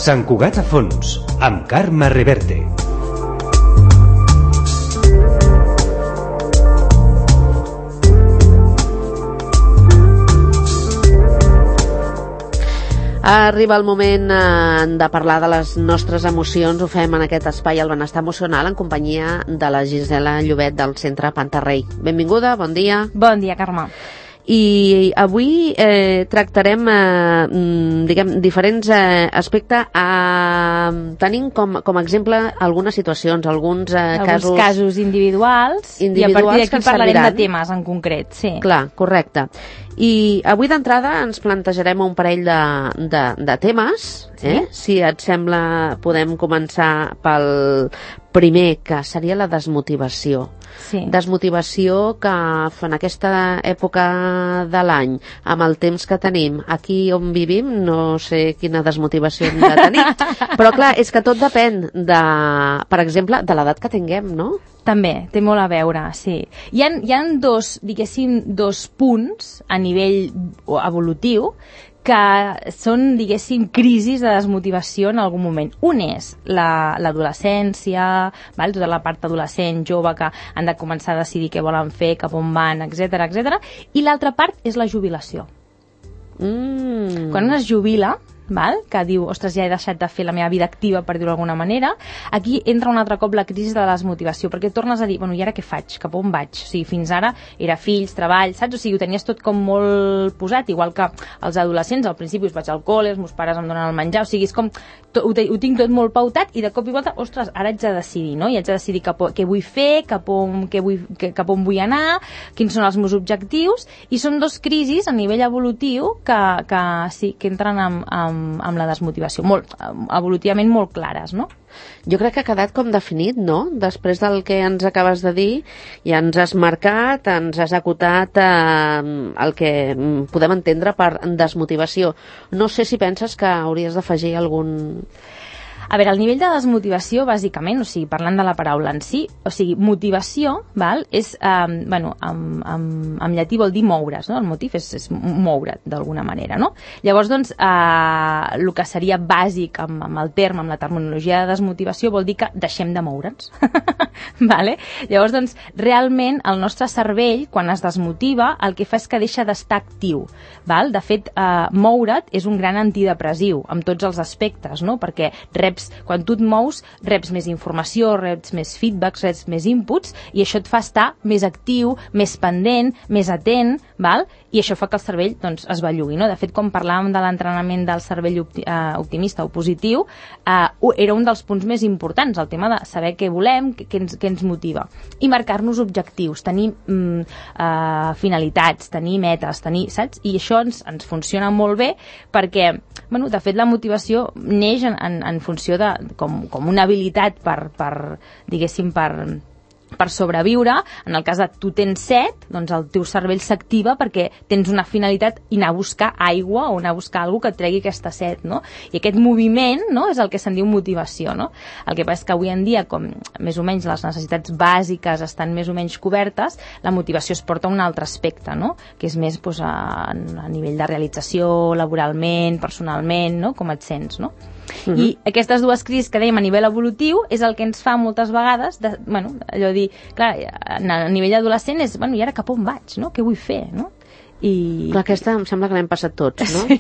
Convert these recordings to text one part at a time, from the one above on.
Sant Cugat a fons, amb Carme Reverte. Arriba el moment de parlar de les nostres emocions. Ho fem en aquest espai, el benestar emocional, en companyia de la Gisela Llobet del Centre Pantarrey. Benvinguda, bon dia. Bon dia, Carme. I avui tractarem diferents aspectes. Tenim com a exemple algunes situacions, alguns casos individuals, i a partir d'aquí parlarem de temes en concret. Sí. Clar, correcte. I avui d'entrada ens plantejarem un parell de temes. Si et sembla, podem començar pel primer, que seria la desmotivació. Sí. Desmotivació que en aquesta època de l'any, amb el temps que tenim, aquí on vivim, no sé quina desmotivació hem de tenir. Però clar, és que tot depèn de, per exemple, de l'edat que tinguem, no? També, té molt a veure, sí. Hi ha dos punts a nivell evolutiu que són, crisis de desmotivació en algun moment. Un és l'adolescència, tota la part adolescent, jove, que han de començar a decidir què volen fer, cap on van, etc. I l'altra part és la jubilació. Quan un es jubila, que diu, ostres, ja he deixat de fer la meva vida activa, per dir-ho d'alguna manera, aquí entra un altre cop la crisi de la desmotivació, perquè tornes a dir, bueno, i ara què faig? Cap on vaig? O sigui, fins ara era fills, treball, saps? O sigui, ho tenies tot com molt posat, igual que els adolescents, al principi us vaig al col·le, els meus pares em donen el menjar, o sigui, és com, ho tinc tot molt pautat, i de cop i volta, ostres, ara haig de decidir, no? I haig de decidir què vull fer, cap on vull anar, quins són els meus objectius, i són dos crisis a nivell evolutiu que entren amb la desmotivació, evolutivament molt clares, no? Jo crec que ha quedat com definit, no? Després del que ens acabes de dir, ja ens has marcat, ens has acotat el que podem entendre per desmotivació. No sé si penses que hauries d'afegir algun... A veure, el nivell de desmotivació, bàsicament, o sigui, parlant de la paraula en si, o sigui, motivació, és, en llatí vol dir moure's, no? El motiu és moure't, d'alguna manera, no? Llavors, doncs, el que seria bàsic amb el terme, amb la terminologia de desmotivació, vol dir que deixem de moure'ns. Vale? Llavors, doncs, realment, el nostre cervell, quan es desmotiva, el que fa és que deixa d'estar actiu. Val? De fet, moure't és un gran antidepressiu, amb tots els aspectes, no? Perquè quan tu et mous, reps més informació, reps més feedbacks, reps més inputs, i això et fa estar més actiu, més pendent, més atent, val? I això fa que el cervell es bellugui, no? De fet, quan parlàvem de l'entrenament del cervell optimista o positiu, era un dels punts més importants, el tema de saber què volem, què ens motiva. I marcar-nos objectius, tenir finalitats, tenir metes, saps? I això ens funciona molt bé perquè, de fet, la motivació neix en funció com una habilitat per sobreviure. En el cas de tu tens set, doncs el teu cervell s'activa perquè tens una finalitat i anar a buscar aigua o anar a buscar alguna que et tregui aquesta set, no? I aquest moviment, no?, és el que se'n diu motivació, no? El que passa és que avui en dia, com més o menys les necessitats bàsiques estan més o menys cobertes, la motivació es porta a un altre aspecte, no?, que és més a nivell de realització, laboralment, personalment, no?, com et sents, no? I aquestes dues crisis que dèiem a nivell evolutiu és el que ens fa moltes vegades allò dir, clar, a nivell adolescent és, i ara cap on vaig, no? Què vull fer, no? Clar, aquesta em sembla que l'hem passat tots, no? Sí.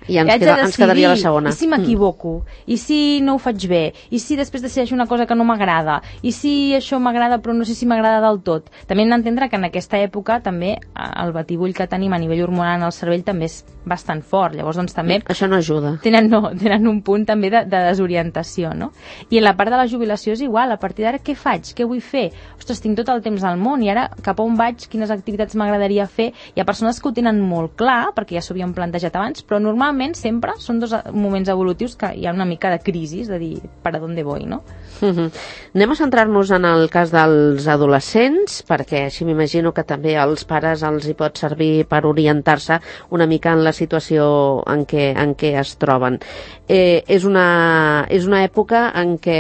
I ens quedaria la segona. I si m'equivoco? I si no ho faig bé? I si després decideixo una cosa que no m'agrada? I si això m'agrada però no sé si m'agrada del tot? També hem d'entendre que en aquesta època també el batibull que tenim a nivell hormonal en el cervell també és bastant fort. Llavors, doncs, també... Això no ajuda. Tenen un punt també de desorientació, no? I en la part de la jubilació és igual. A partir d'ara, què faig? Què vull fer? Ostres, tinc tot el temps del món i ara cap on vaig? Quines activitats m'agradaria fer? Hi ha persones que ho tenen molt clar, perquè ja s'ho havien plantejat abans, però normalment sempre són dos moments evolutius que hi ha una mica de crisi, de dir, per a on voy, no? Anem a centrar-nos en el cas dels adolescents, perquè així m'imagino que també als pares els hi pot servir per orientar-se una mica en la situació en què es troben. És una època en què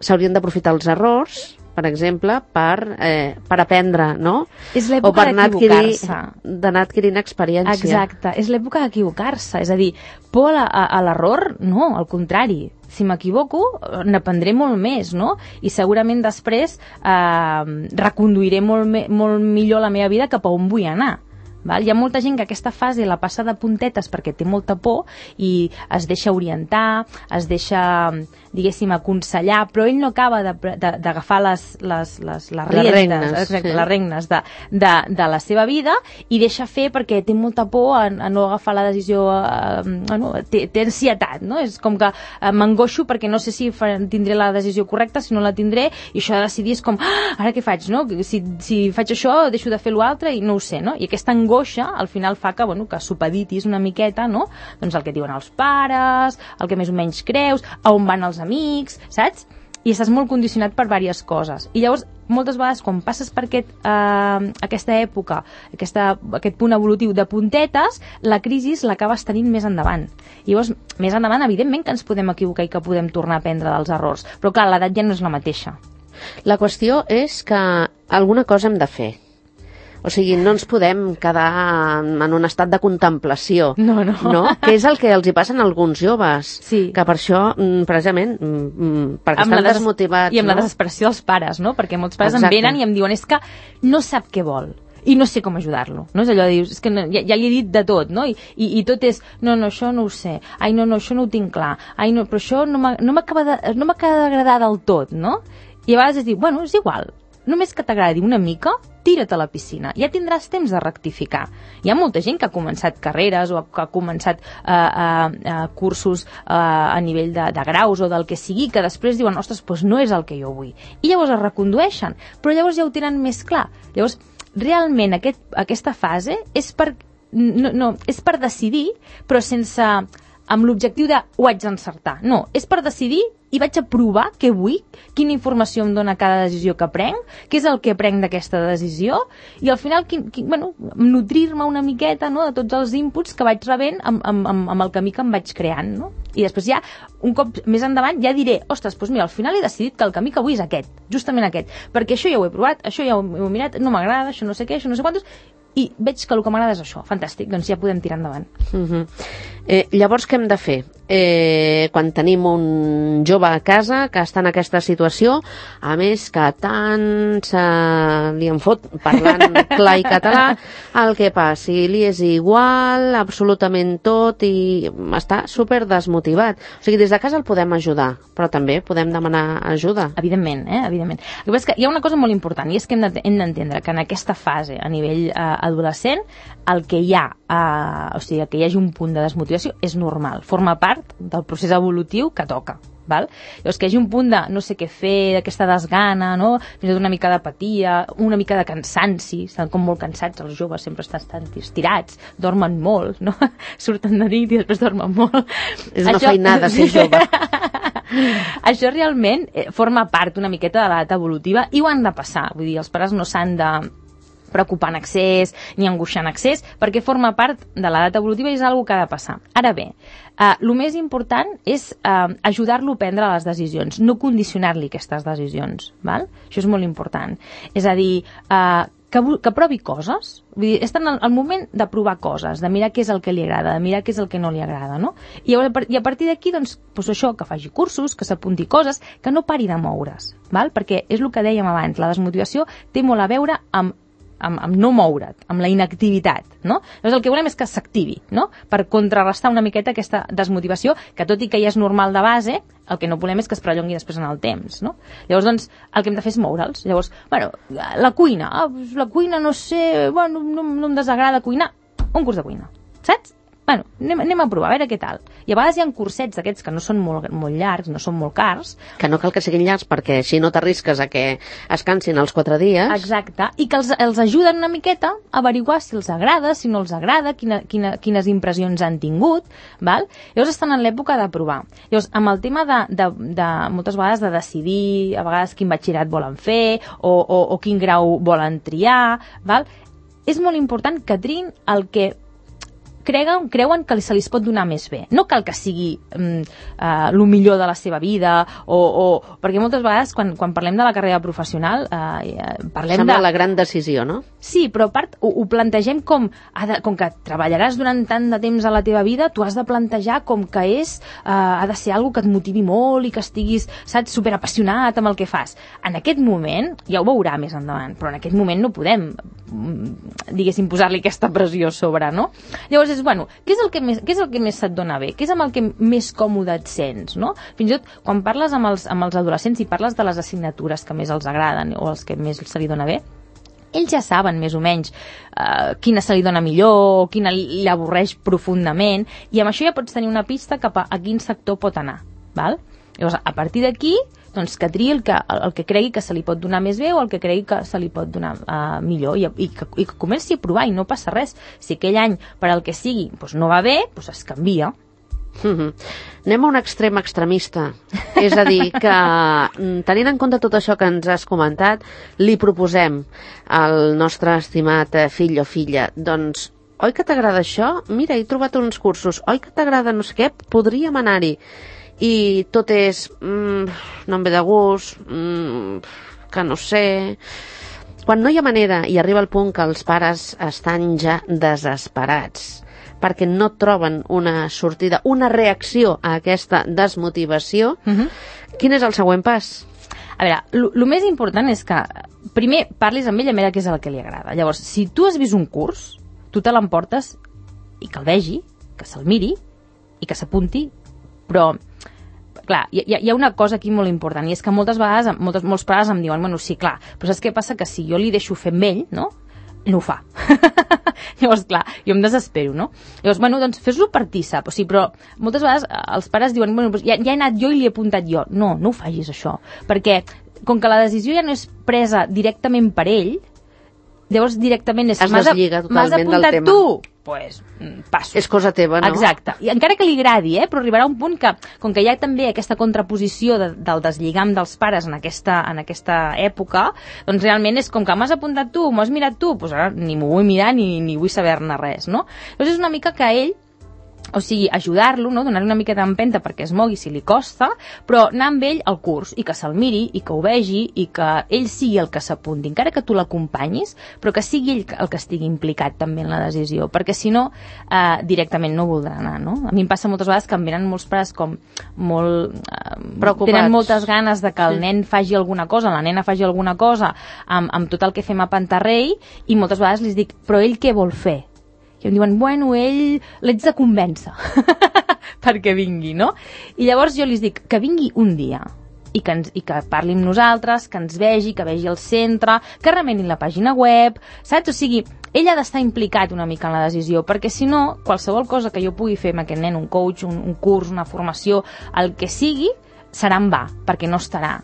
s'haurien d'aprofitar els errors, per exemple, per aprendre, no? És o l'època per d'equivocar-se. d'anar adquirint experiència. Exacte, és l'època d'equivocar-se, és a dir, por a l'error, no, al contrari. Si m'equivoco, n'aprendré molt més, no? I segurament després reconduiré molt millor la meva vida cap a on vull anar. Val? Hi ha molta gent que aquesta fase la passa de puntetes perquè té molta por i es deixa orientar, es deixa, diguéssim, aconsellar, però ell no acaba d'agafar les regnes de la seva vida i deixa fer perquè té molta por a no agafar la decisió, té ansietat, no? És com que m'angoixo perquè no sé si tindré la decisió correcta, si no la tindré, i això de decidir és com, ara què faig, no? Si faig això, deixo de fer l'altre i no ho sé, no? I aquesta angoixa al final fa que supeditis una miqueta, no? Doncs el que diuen els pares, el que més o menys creus, a on van els amics, saps? I estàs molt condicionat per diverses coses. I llavors, moltes vegades, quan passes per aquesta època, aquest punt evolutiu de puntetes, la crisi l'acabes tenint més endavant. I llavors, més endavant, evidentment que ens podem equivocar i que podem tornar a aprendre dels errors. Però clar, l'edat ja no és la mateixa. La qüestió és que alguna cosa hem de fer. O sigui, no ens podem quedar en un estat de contemplació. No. Que és el que els hi passa a alguns joves. Sí. Que per això, precisament, perquè estan desmotivats. I amb la desesperació dels pares, no? Perquè molts pares Exacte. em venen i em diuen és que no sap què vol i no sé com ajudar-lo, no? És allò de dir, és que ja li he dit de tot, no? I tot és, no, això no ho sé, ai, no, això no ho tinc clar, ai, no, però això no m'acaba d'agradar del tot, no? I a vegades es diu, bueno, és igual, només que t'agradi una mica, tira't a la piscina, ja tindràs temps de rectificar. Hi ha molta gent que ha començat carreres o que ha començat cursos a nivell de graus o del que sigui, que després diuen, ostres, doncs no és el que jo vull. I llavors es recondueixen, però llavors ja ho tenen més clar. Llavors, realment aquesta fase és per decidir, però sense amb l'objectiu de ho haig d'encertar. No, és per decidir i vaig a provar què vull, quina informació em dona cada decisió que prenc, què és el que prenc d'aquesta decisió, i al final nutrir-me una miqueta, no, de tots els inputs que vaig rebent amb el camí que em vaig creant, no? I després ja, un cop més endavant, ja diré, ostres, doncs mira, al final he decidit que el camí que vull és aquest, justament aquest, perquè això ja ho he provat, això ja ho he mirat, no m'agrada, això no sé què, això no sé quantos, i veig que el que m'agrada és això, fantàstic, doncs ja podem tirar endavant. Llavors què hem de fer? Quan tenim un jove a casa que està en aquesta situació, a més que tant li en fot parlant clar i català, el que passi, li és igual absolutament tot i està super desmotivat. O sigui, des de casa el podem ajudar, però també podem demanar ajuda. Evidentment, evidentment. El que passa és que hi ha una cosa molt important, i és que hem d'entendre que en aquesta fase, a nivell adolescent, el que hi ha, o sigui, que hi hagi un punt de desmotivació és normal, forma part del procés evolutiu que toca. Val? Llavors, que hi hagi un punt de no sé què fer, d'aquesta desgana, no? Fins i tot una mica d'apatia, una mica de cansanci, estan com molt cansats, els joves sempre estan estirats, dormen molt, no? Surten de nit i després dormen molt. És una feinada ser jove. Això realment forma part una miqueta de l'edat evolutiva i ho han de passar, vull dir, els pares no s'han de preocupar en excés ni angoixar en excés, perquè forma part de l'edat evolutiva i és una cosa que ha de passar. Ara bé, el més important és ajudar-lo a prendre les decisions, no condicionar-li aquestes decisions. Val? Això és molt important. És a dir, que provi coses, vull dir, està en el moment de provar coses, de mirar què és el que li agrada, de mirar què és el que no li agrada, no? I a partir d'aquí, doncs això, que faci cursos, que s'apunti coses, que no pari de moure's, val? Perquè és el que dèiem abans, la desmotivació té molt a veure amb no moure't, amb la inactivitat, no? Llavors el que volem és que s'activi, no? Per contrarrestar una miqueta aquesta desmotivació, que tot i que ja és normal de base, el que no volem és que es prellongui després en el temps, no? Llavors, doncs, el que hem de fer és moure'ls. Llavors, la cuina, no sé, no em desagrada cuinar, un curs de cuina, saps? Anem a provar, a veure què tal. I a vegades hi ha cursets d'aquests que no són molt llargs, no són molt cars. Que no cal que siguin llargs perquè així no t'arrisques a que es cansin els 4 dies. Exacte, i que els ajuden una miqueta a averiguar si els agrada, si no els agrada, quines impressions han tingut, val? Llavors estan en l'època de provar. Llavors, amb el tema de moltes vegades de decidir, a vegades quin batxillerat volen fer o quin grau volen triar, val? És molt important que triïn el que creuen que se li pot donar més bé. No cal que sigui el millor de la seva vida, perquè moltes vegades quan parlem de la carrera professional parlem Sembla la gran decisió, no? Sí, però a part ho plantegem com que treballaràs durant tant de temps a la teva vida, tu has de plantejar com que ha de ser algo que et motivi molt i que estiguis, saps, superapassionat amb el que fas. En aquest moment, ja ho veurà més endavant, però en aquest moment no podem, diguéssim, posar-li aquesta pressió sobre, no? Llavors bueno, què és el que més se't dona bé? Què és amb el que més còmode et sents, no? Fins i tot, quan parles amb els adolescents i parles de les assignatures que més els agraden o els que més se li dona bé, ells ja saben més o menys quina se li dona millor, quina li avorreix profundament, i amb això ja pots tenir una pista cap a quin sector pot anar, val? Llavors, a partir d'aquí, doncs que triï el que cregui que se li pot donar més bé o el que cregui que se li pot donar millor, i que comenci a provar, i no passa res. Si aquell any, per al que sigui, doncs no va bé, doncs es canvia. Anem a un extrem extremista, és a dir, que tenint en compte tot això que ens has comentat, li proposem al nostre estimat fill o filla, doncs, oi que t'agrada això? Mira, he trobat uns cursos, oi que t'agrada no sé què? Podríem anar-hi. I tot és no em ve de gust, que no sé. Quan no hi ha manera i arriba el punt que els pares estan ja desesperats perquè no troben una sortida, una reacció a aquesta desmotivació, quin és el següent pas? A veure, el més important és que primer parlis amb ell a veure què és el que li agrada. Llavors, si tu has vist un curs, tu te l'emportes i que el vegi, que se'l miri i que s'apunti, però clar, hi ha una cosa aquí molt important, i és que moltes vegades molts pares em diuen, bueno, sí, clar, però saps què passa? Que si jo li deixo fer amb ell, no ho fa. Llavors, clar, jo em desespero, no? Llavors, bueno, doncs fes-lo partícip, o sigui, però moltes vegades els pares diuen, bueno, ja he anat jo i li he apuntat jo. No ho facis, això, perquè com que la decisió ja no és presa directament per ell, llavors directament és... Es deslliga totalment del tema. M'has apuntat tu? Pues, passo. És cosa teva, no? Exacte. I encara que li agradi, però arribarà un punt que, com que hi ha també aquesta contraposició del deslligam dels pares en aquesta època, doncs realment és com que m'has apuntat tu, m'ho has mirat tu, doncs ara ni m'ho vull mirar ni vull saber-ne res, no? Llavors és una mica que ell, o sigui, ajudar-lo, no? Donar-li una mica d'empenta perquè es mogui si li costa, però anar amb ell al curs i que se'l miri i que ho vegi i que ell sigui el que s'apunti, encara que tu l'acompanyis, però que sigui ell el que estigui implicat també en la decisió, perquè si no, directament no voldrà anar, no? A mi em passa moltes vegades que em venen molts pares com molt... preocupats. Tenen moltes ganes de que el nen faci alguna cosa, la nena faci alguna cosa amb tot el que fem a Pantarrei, i moltes vegades li dic, però ell què vol fer? I em diuen, bueno, ell l'haig de convèncer perquè vingui, no? I llavors jo li dic que vingui un dia i que parli amb nosaltres, que ens vegi, que vegi el centre, que remenin la pàgina web, saps? O sigui, ell ha d'estar implicat una mica en la decisió, perquè si no, qualsevol cosa que jo pugui fer amb aquest nen, un coach, un curs, una formació, el que sigui, serà en va, perquè no estarà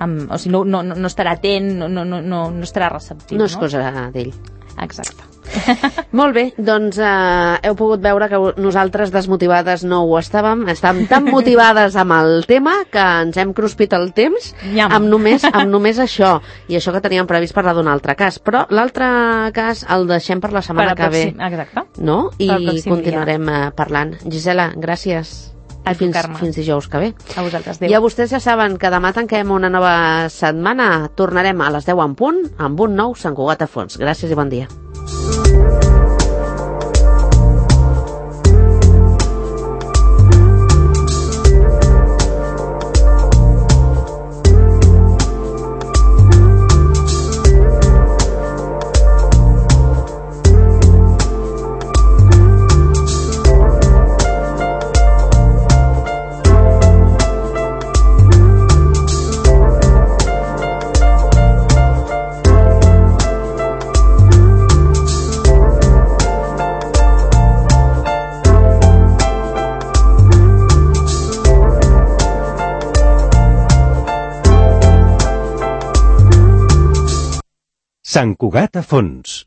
o sigui, no estarà atent, no estarà receptiu. No és cosa d'ell. Exacte. Molt bé, doncs heu pogut veure que nosaltres desmotivades no ho estàvem tan motivades amb el tema que ens hem cruspit el temps amb només això, i això que teníem previst parlar d'un altre cas, però l'altre cas el deixem per la setmana que ve. Exacte. No? I continuarem parlant. Gisela, gràcies. Fins dijous que ve. A vosaltres, adéu. I a vostès ja saben que demà tanquem una nova setmana. Tornarem a les 10 en punt amb un nou Sant Cugat a fons. Gràcies i bon dia. Sant Cugat a fons.